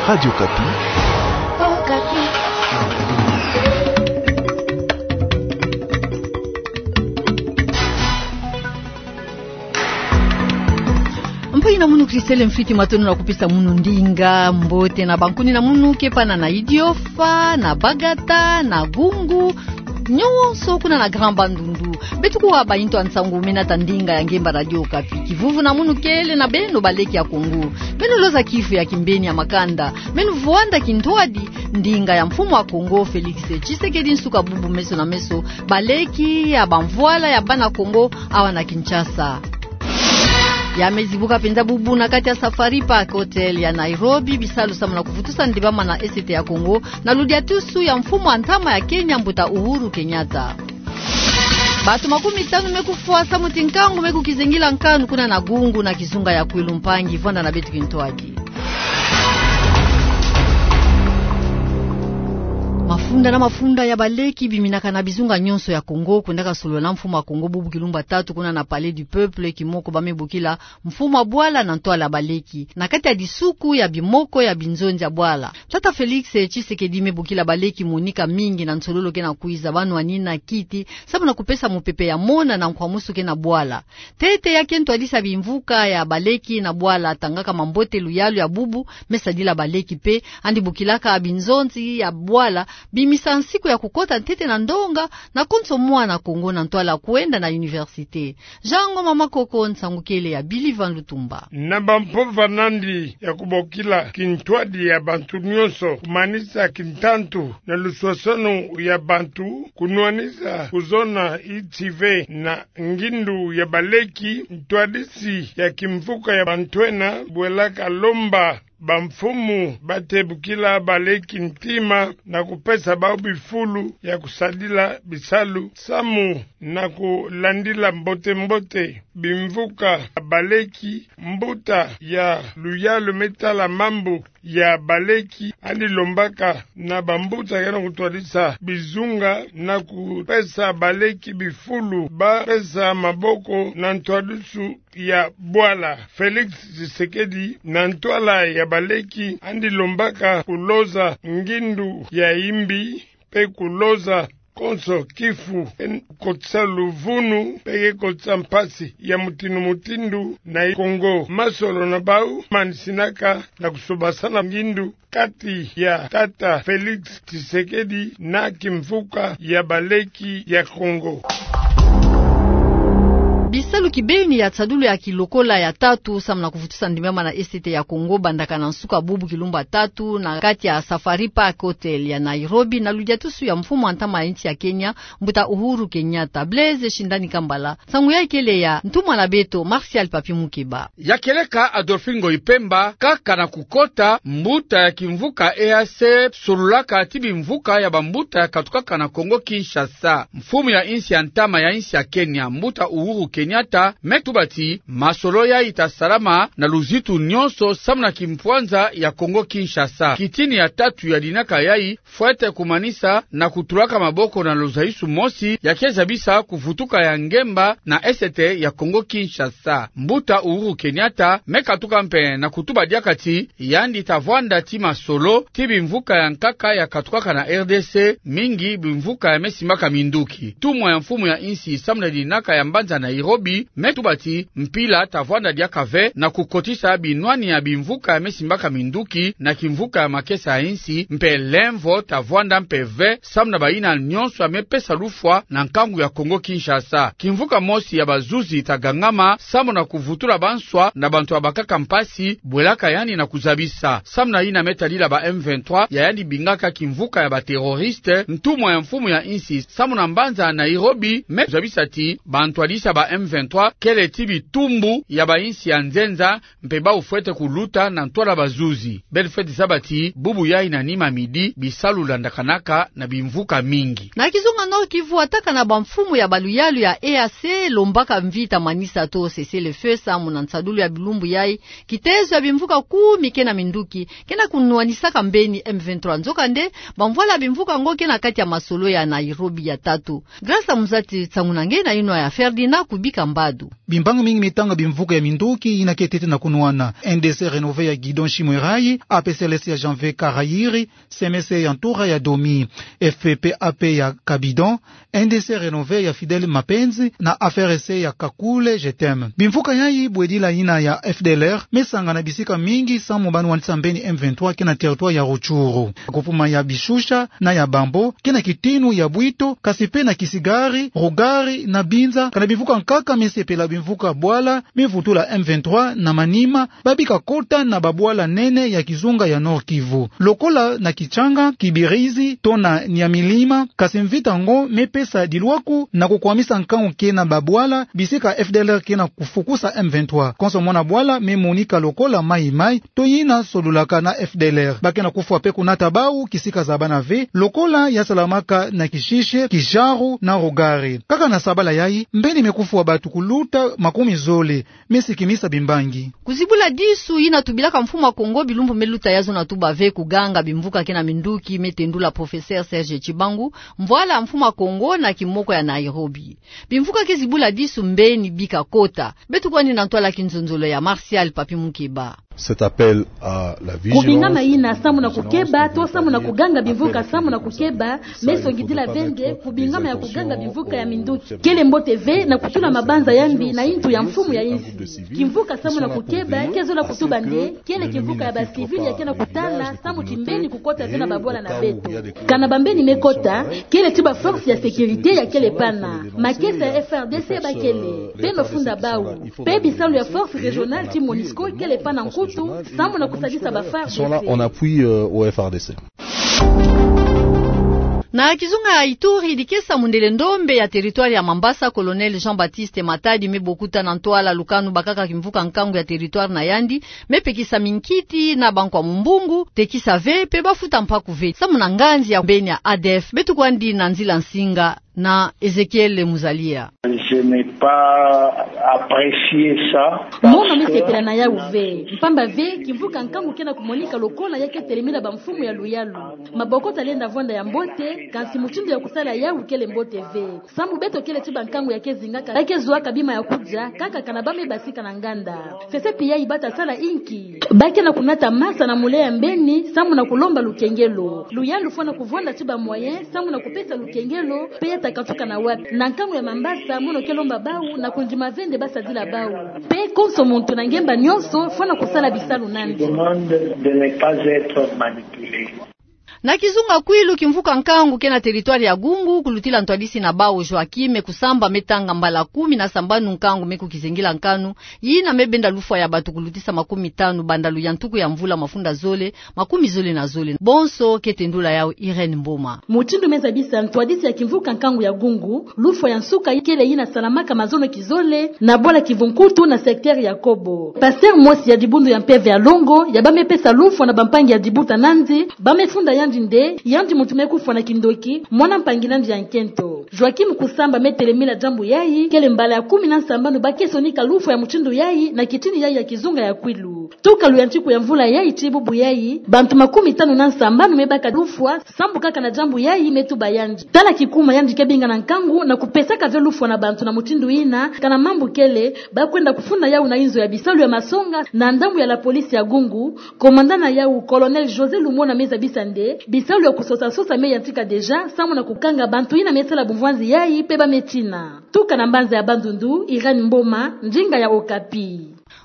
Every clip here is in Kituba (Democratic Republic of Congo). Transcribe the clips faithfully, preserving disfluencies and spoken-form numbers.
Radio Okapi. Mpangi na munu Christelle Mfiti, matondo na kupesa munu ndinga. Mbote na bankuni na munu ke pana na Idiofa, na Bagata, na Gungu, nyonso kuna na Grand Bandundu. Beto kuwa baintu a nsangu mena ta ndinga ya ngemba Radio Okapi. Kivuvu na munu kele na beno baleki ya Kongo. Beno loza kifu ya kimbeni ya makanda. Beno vwanda kintwadi ndinga ya mfumu a Kongo Félix Tshisekedi nsuka bubu meso na meso, baleki ya bamvwala ya bana Kongo awa na Kinshasa. Ya me zibuka mpenza bubu na kati ya Safari Park Hotel ya Nairobi, bisalu samu na kuvutusa ndibama na esete ya Kongo, na ludiatusu ya mfumu a ntama ya Kenya, mbuta Uhuru Kenyatta. Bato makumitanu me kufwa samu ti nkangu me kukizengila nkanu kuna na Gungu na kizunga ya Kwilu. Mpangi, vwanda na beto kintwadi. Mafunda na mafunda ya baleki biminaka na bizunga nyonso ya Kongo, kwendaka solola na mfumu a Kongo bubu kilumbu tatu kuna na Palais du Peuple, kimoko ba me bokila mfumu a bwala na ntwala baleki. Na kati ya disuku ya bimoko ya binzonzi ya bwala, tata Félix Tshisekedi me bokila baleki monika mingi na nsololo ke na kwiza, ba nwanina kiti samu na kupesa mopepe ya mona na nkwamusu ke na bwala. Ntete ya ke ntwadisa bimvuka ya baleki na bwala, tangaka mambote luyalu ya bubu me sadila baleki, mpe yandi bokilaka binzonzi ya bwala bimisa nsiku ya kukota ntete na ndonga na konso mwana Kongo na ntwala kwenda na université. Jean Ngoma Makoko, nsangu kele ya Billy Van Lutumba. Na bampova nandi ya kubokila kintwadi ya bantu nyonso, kumanisa kintantu na luswaswanu ya bantu, kunwanisa kuzona iti ve na ngindu ya baleki, ntwadisi ya kimvuka ya bantwena bwelaka lomba bamfumu ba te bokila baleki ntima na kupesa bau bifulu ya kusadila bisalu samu na kulandila mbote-mbote bimvuka ya baleki. Mbuta ya luyalu me tala mambu ya baleki yandi lombaka na bambuta ke na kutwadisa bizunga na kupesa baleki bifulu ba pesa maboko na ntwadisu ya bwala. Félix Tshisekedi, na ntwala ya baleki, yandi lombaka kuloza ngindu ya imbi, mpe kuloza konso kifu ke kotisa luvunu, mpe ke kotisa mpasi ya mutinu-mutinu na Kongo. Masolo na bau manisinaka na kusobasana ngindu kati ya tata Félix Tshisekedi na kimvuka ya baleki ya Kongo. Bisalu kibeni ya nsadulu ya kilokola ya tatu samu na kuvutusa ndimama na esete ya Kongo bandaka na nsuka bubu kilumbu tatu na kati ya Safari Park Hotel ya Nairobi, na ludiatusu ya mfumu a ntama ya nsi ya Kenya, mbuta Uhuru Kenyatta. Blaise Shindani Kambala, nsangu yai kele ya ntumwa na beto Martial Papi Mukeba. Ya kieleka Adolphine Ngoyi Pemba, kaka na kukota, mbuta ya kimvuka E A C sololaka ti bimvuka ya bambuta ya katukaka na Kongo Kinshasa. Mfumu ya nsi ya ntama ya nsi ya Kenya, mbuta Uhuru Kenyatta, me tuba ti masolo yai ta salama na luzitu nyonso samu na kimpwanza ya Kongo Kinshasa. Kitini ya tatu ya dinaka yai fwete kumanisa na kutulaka maboko na luzaisu mosi ya ke zabisa kuvutuka ya ngemba na esete ya Kongo Kinshasa. Mbuta Uhuru Kenyatta me katuka mpe na kutuba diaka ti yandi ta vwanda ti masolo ti bimvuka ya nkaka ya katukaka na R D C, mingi bimvuka ya me simbaka minduki. Ntumwa ya mfumu ya nsi samu na dinaka ya mbanza Nairobi me tuba ti mpila ta vwanda diaka ve na kukotisa binwani ya bimvuka ya me simbaka minduki na kimvuka ya makesa ya nsi, mpe lemvo ta vwanda mpe ve samu na bayina nyonso ya me pesa lufwa na nkangu ya Kongo Kinshasa. Kimvuka mosi ya bazuzi ta gangama samu na kuvutula banswa na bantu ya bakaka mpasi, bwelaka yandi na kuzabisa. Samu na yina me tadila ba M vingt-trois ya yandi bingaka kimvuka ya baterroriste, ntumwa ya mfumu ya nsi samu na mbanza Nairobi me zabisa ti bantwadisi ya ba M vingt-trois kele ti bitumbu ya bansi ya nzenza, mpe bau fwete kuluta na ntwala bazuzi. Beno fwete zaba ti bubu yai na nima midi bisalu landakanaka na bimvuka mingi. Na kizunga Nord-Kivu, atakana bamfumu ya baluyalu ya E A C lombaka mvita manisa to cessez-le-feu samu na nsadulu ya bilumbu yai, kitezo ya bimvuka kumi ke na minduki ke na kunwanisaka mbeni M vingt-trois. Nzokande, bamvwala ya bimvuka yango ke na kati ya masolo ya Nairobi ya tatu. Grâce Muzati, nsangu na nge na yinwa ya Ferdinand Kubi. bika mbadu. Bimbangi mingi mitanga bimvuka ya minduki yina ke tete na kunwana. N D C Renové ya Guidon Chimwerayi, A P C L S ya Janvier Karayiri, C M C ya Ntura ya Domi, F P P A P ya Kabidon, N D C Renové ya Fidèle Mapenzi na A F R C ya Kakule Jetem. Bimvuka yayi bwedila yina ya F D L R mesangana bisika mingi samu ba nwanisa mbeni M vingt-trois ke na territoire ya Rutshuru. Groupement ya Bishusha na ya Bambo ke na kitinu ya Bwito, kasi pe na Kisigari, Rugari na Binza, kana bimvuka nkaka mesepela bimvuka bwala mevutula M vingt-trois na Maniema, ba bika kota na babwala nene ya kizunga ya Nord-Kivu. Lokola na Kitshanga, Kibirizi, to na Nyamilima, kasi mvita ngo mepesa dilwaku na kukwamisa nkangu ke na babwala, bisika F D L R ke na kufukusa M vingt-trois. Konso mwana bwala memonika lokola mayi-mayi, to yina solulaka na F D L R. Ba ke na kufwa pe kunata bawu kisika zabana ve, lokola ya salamaka na Kishishe, Kisharu na Rugari. Kaka na sabala yayi, mbeni mekufwa batu kuluta makumi zole, mesikimisa bimbangi. Kuzibula disu yina tubilaka Mfumu a Kongo bilumbu meluta ya zona tuba ve kuganga bimvuka ke na minduki, metendula Professeur Serge Tshibangu, mvwala Mfumu a Kongo na kimoko ya Nairobi. Bimvuka ke zibula disu mbeni bika kota. Beto kwandi na ntwala kinzonzolo ya Martial Papi Mukeba. Cet appel à la vigilance. Kubingama yina samu na kukeba, to samu na kuganga bimvuka samu na kukeba, mesongidila ve nde kubingama ya kuganga bimvuka ya minduki. Kele mbote ve na kutula mabanza ya mbi na yintu ya mfumu ya yinsi. Kimvuka samu na kukeba ke zola kutuba nde kele kimvuka ya ba civil ya ke na kutala samu ti mbeni kukota ve na babwala na beto. Kana bambeni mekota, kele ti ba force ya sécurité ya kele pana. Makesa ya F R D C ba kele, beno funda bawu. Pe bisalu ya force régionale ti MONUSCO kele pana nkutu, samu na kusadisa ba FARDC. Ils sont là en appui, euh, au F R D C. Na kizunga ya Ituri, dikesa mundele ndombe ya territoire ya Mambasa, Colonel Jean-Baptiste Matadi, mebokuta na ntwala lukanu bakaka kimvuka nkangu ya territoire na yandi, mepekisa minkiti na bankwa mumbungu, tekisa ve, pe bafuta mpaku ve. Samu na nganzi ya mbeni ya A D F, beto kwandi na nzila nsinga na Ezekiel Muzalia. Je n'ai pas apprécié ça. Mono mesepela na yawu ve. Mpamba ve, kimvuka nkangu ke na kumonika lokola ya ke telemina bamfumu ya luyalu. Maboko talenda vwanda ya mbote, kansi mutindu ya kusala yawu kele mbote ve. Samu beto kele ti bankangu ya ke zingaka, ba ke zwaka bima ya kudia, kaka kana ba mebasika na nganda. Sese pi yayi bata sala inki? Ba ke na kunata masa na mule ya mbeni, samu na kulomba lukengelo. Luyalu fwana kuvwanda ti ba moyen, samu na kupesa lukengelo, pe ya ta katuka na wapi? Na nkangu ya Mambasa, mono ke lomba bawu, na kundima ve nde ba sadila bawu. Pe konso muntu na ngemba nyonso, fwana kusala bisalu nandi. Demande de ne pas être manipulé. Na kizunga Kwilu, kimvuka nkangu ke na territoire ya Gungu, kulutila ntwadisi na bawu Joachim Kusamba, metanga mbala kumi na sambanu nkangu me kukizengila nkanu, yina mebenda lufwa ya batu kulutisa makumi tanu banda luyantuku ya mvula mafunda zole, makumi zole na zole. Bonso ke tendula yawu Irène Mboma. Mutindu mezabisa ntwadisi ya kimvuka nkangu ya Gungu, lufwa ya nsuka kele yina salamaka mazono kizole, na bwala Kivu-Nkutu na secteur ya Kobo. Pasteur mosi ya dibundu ya mpeve ya longo, ya ba mepesa lufwa na bampangi ya dibuta nandi, ba mefunda yandi nde, yandi muntu me kufwa na kindoki, mwana mpangi nandi ya nkento. Joachim Kusamba metelemina diambu yayi, kele mbala ya kumi na sambanu ba ke sonika lufwa ya mutindu yayi, na kitini yayi ya kizunga ya Kwilu. Tuka luyantiku ya mvula yayi tii bubu yayi, bantu makumi tanu na sambanu mebaka lufwa, sambu kaka na diambu yayi metuba yandi. Tala kikuma yandi ke binga na nkangu na kupesaka ve lufwa na bantu na mutindu yina, kana mambu kele, ba kwenda kufunda yawu na inzo ya bisalu ya masonga, na ndambu ya la police ya Gungu, commandant na yawu, Colonel José Lumona mezabisa nde, bisalu ya kusosa-sosa meyantika déjà, samu na kukanga bantu yina mesala bumvwanzi yayi, pe ba metina. Tuka na mbanza ya Bandundu, Irène Mboma, ndinga ya Okapi.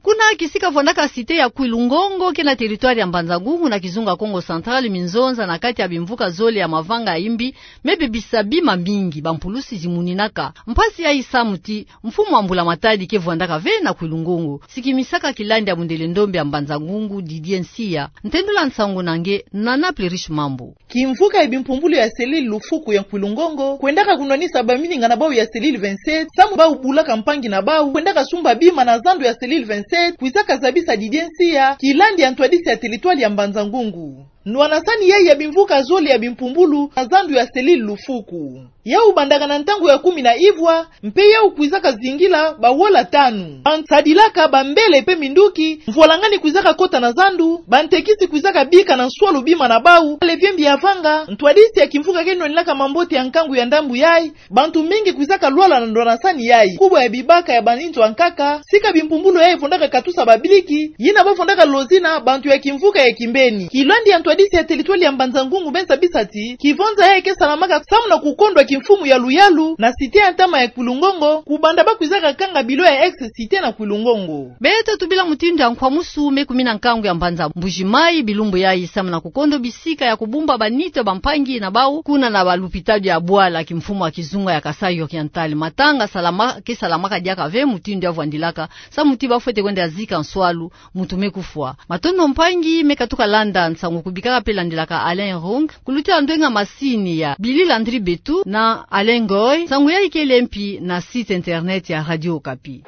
Kuna kisika vwandaka cité ya Kwilu-Ngongo, ke na territoire ya Mbanza-Ngungu na kizunga Kongo Central, minzonza na kati ya bimvuka zole ya mavanga ya imbi, mebebisa bima mingi, bampulusi zimuninaka. Mpasi yayi samu ti mfumu wa mbula-matadi ke vwandaka ve na Kwilu-Ngongo. Sikimisaka kilandi ya mundele ndombe ya Mbanza-Ngungu, Didier Nsiya. Ntendula nsangu na nge, Nana Plerish Mambu. Kimvuka ya bimpumbulu ya cellule Lufuku ya Kwilu-Ngongo, kwendaka kunwanisa bamininga na bawu ya cellule vingt-sept, samu bawu bulaka mpangi na bawu, kwendaka sumba bima na zandu ya cellule vingt-sept, kwizaka zabisa Didier Nsiya, kilandi ya ntwadisi ya territoire ya Mbanza-Ngungu. Nwanasani yayi ya bimvuka zole ya bimpumbulu na zandu ya selile lufuku. Yau bandaka na ntangu ya kumi na ivwa, mpe yau kwizaka zingila bawola tanu. Bansadilaka, bambele mpe minduki, mvwalangani kwizaka kota na zandu, bantekisi kwizaka bika na nswalu bima na bau, aleviembi ya vanga, ntwadisi ya kimvuka ke nwanilaka mambote ya nkangu ya ndambu yayi, bantu mingi kwizaka lwala na ndwanasani yayi. Kubwa ya bibaka ya baninzo ya nkaka, sika bimpumbulu yayi vondaka katusa babiliki, yina bavondaka lozina bantu ya kimvuka ya kimbeni. Kilwandi ya ntwadisi ya telitwali ya Mbanza-Ngungu Bensa Bisati, kivonza yayi ke salamaka samu na kukondwa kimfumu ya luyalu na site ya ntama ya Kwilu-Ngongo, kubanda bakwizaka kanga bilo ya ex-site na Kwilu-Ngongo. Beto tubila mutindu ya nkwamusu me kumina nkangu ya mbanza Mbuji-Mayi bilumbu yayi samu na kukondo bisika ya kubumba banito bampangi na bau, kuna na balupitalu ya bwala kimfumu ya kizunga ya Kasaï Oriental. Matanga salama, ke salamaka diaka ve mutindu ya vwandilaka, samu ti bafwete kwenda zika nswalu, muntu me kufwa. Matondo mpangi, me katuka landa nsangu kubikaka mpe landilaka Alain Rung, kulutila ndwenga masini ya Billy Landry Betu na Alain Ngoy, nsangu yayi kele mpi na site internet ya Radio Okapi.